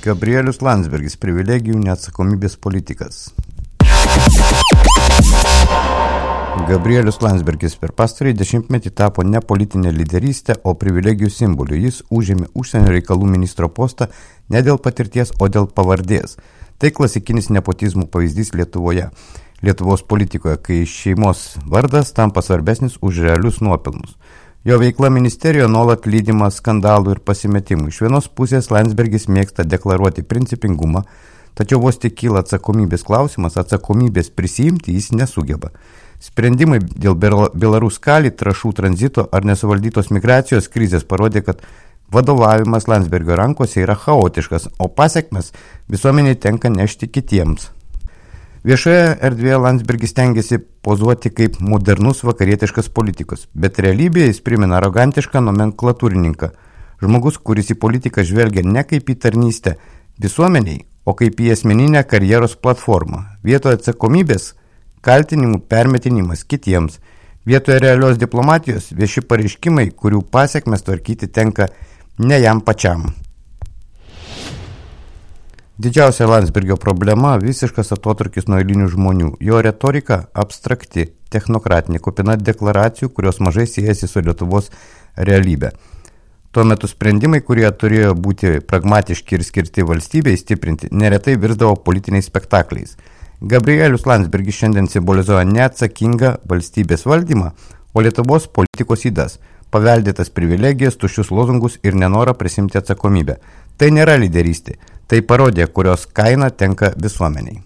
Gabrielius Landsbergis – privilegijų neatsakomybės politikas. Gabrielius Landsbergis per pastarąjį dešimtmetį tapo ne politinė lyderystė, o privilegijų simboliu. Jis užėmė užsienio reikalų ministro postą ne dėl patirties, o dėl pavardės. Tai klasikinis nepotizmų pavyzdys Lietuvoje. Lietuvos politikoje, kai šeimos vardas tampa svarbesnis už realius nuopelnus. Jo veikla ministerijoje nuolat lydima skandalų ir pasimetimų. Iš vienos pusės Landsbergis mėgsta deklaruoti principingumą, tačiau vos tik kyla atsakomybės klausimas, atsakomybės prisiimti jis nesugeba. Sprendimai dėl Belaruskali, trąšų tranzito ar nesuvaldytos migracijos krizės parodė, kad vadovavimas Landsbergio rankose yra chaotiškas, o pasekmes visuomeniai tenka nešti kitiems. Viešoje erdvėje Landsbergis stengiasi pozuoti kaip modernus vakarietiškas politikas, bet realybėje jis primena arogantišką nomenklatūrininką. Žmogus, kuris į politiką žvelgia ne kaip į tarnystę visuomeniai, o kaip į asmeninę karjeros platformą. Vietoje atsakomybės kaltinimų permetinimas kitiems. Vietoje realios diplomatijos vieši pareiškimai, kurių pasekmes tvarkyti tenka ne jam pačiam. Didžiausia Landsbergio problema – visiškas atotrūkis nuo eilinių žmonių. Jo retorika abstrakti, technokratinė, kupina deklaracijų, kurios mažai siejasi su Lietuvos realybė. Tuo metu sprendimai, kurie turėjo būti pragmatiški ir skirti valstybei stiprinti, neretai virsdavo politiniais spektakliais. Gabrielius Landsbergis šiandien simbolizuoja neatsakingą valstybės valdymą, o Lietuvos politikos ydas – paveldėtas privilegijas, tuščius lozungus ir nenorą prisimti atsakomybę. Tai nėra lyderystė. Tai parodė, kurios kaina tenka visuomeniai.